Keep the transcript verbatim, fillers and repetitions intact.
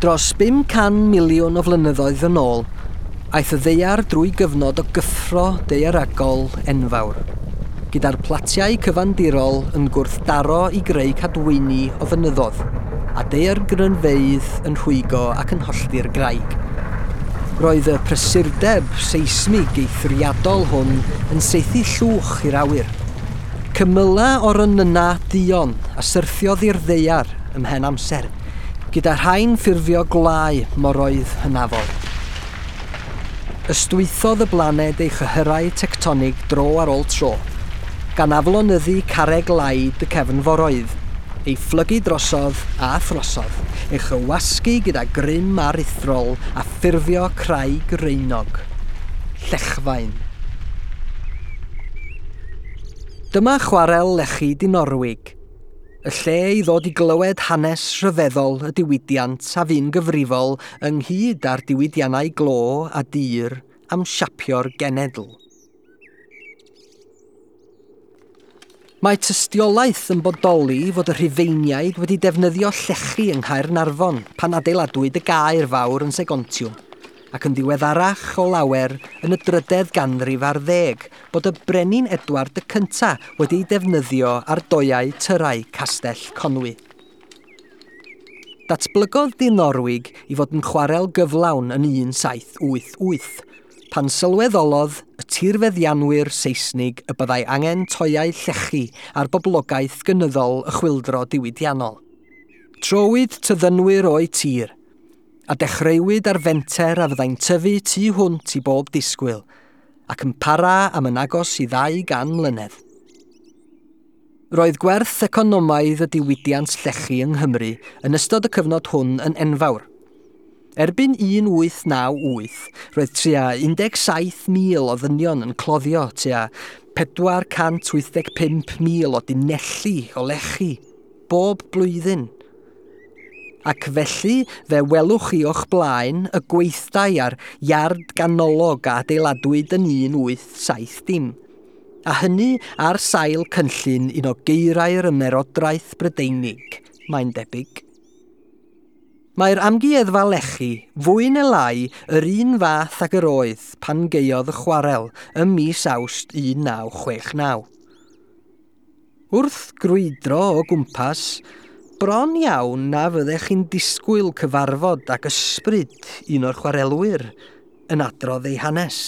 Dros bum can miliwn o flynyddoedd yn ôl, aeth y ddaear drwy gyfnod o gyffro daearegol enfawr, gyda'r platiau cyfandirol yn gwrthdaro i greu cadwyni o fynyddoedd, a daeargrynfeydd yn rhwygo ac yn hollti'r graig. Roedd y prysurdeb seismig eithriadol hwn yn saethu llwch i'r awyr. Cymyla o'r onyna duon a syrthiodd i'r ddaear ymhen amser, gyda rhain ffurfio gwlau moroedd hynafol. Ystwythodd y blaned ei chyhyrau tectonig dro ar ôl tro, gan aflonyddu carreg laid y cefnforoedd, ei phlygu drosodd a throsodd, ei chywasgu gyda grym aruthrol a ffurfio craig reunog. Llechfaen. Dyma chwarel lechi Dinorwig, y lle i ddod i glywed hanes rhyfeddol y diwydiant a fu'n gyfrifol ynghyd â'r diwydiannau glo a dur am siapio'r genedl. Mae tystiolaeth yn bodoli fod y Rhufeiniaid wedi defnyddio llechi yng Nghaernarfon pan adeiladwyd y gaer fawr yn Segontiwm, ac yn ddiweddarach o lawer yn y drydedd ganrif ar ddeg bod y brenin Edward y Cynta wedi'i defnyddio ar doiau tyrau Castell Conwy. Datblygodd Dinorwig i fod yn chwarel gyflawn yn un saith wyth wyth, pan sylweddolodd y tirfeddianwyr Seisnig y byddai angen toiau llechi ar boblogaeth gynyddol y chwyldro diwydiannol. Trowyd tyddynwyr o'u tir, a dechreuwyd ar fenter a fyddai'n tyfu tu hwnt i bob disgwyl, ac yn para am yn agos i ddau gan mlynedd. Roedd gwerth economaidd y diwydiant llechi yng Nghymru yn ystod y cyfnod hwn yn enfawr. Erbyn un wyth naw wyth, roedd tua un deg saith mil o ddynion yn cloddio tua pedwar cant wyth deg pump mil o dunelli o lechi, bob blwyddyn. Ac felly fe welwch chi o'ch blaen y gweithdai ar iard ganolog a adeiladwyd yn un wyth saith dim. A hynny ar sail cynllun un o geirau'r ymerodraeth Brydeinig, mae'n debyg. Mae'r amgueddfa lechi fwy neu lai yr un fath ag yr oedd pan gaeodd y chwarel ym mis Awst un naw chwech naw. Wrth grwydro o gwmpas, bron iawn na fyddech chi'n disgwyl cyfarfod ag ysbryd un o'r chwarelwyr yn adrodd ei hanes.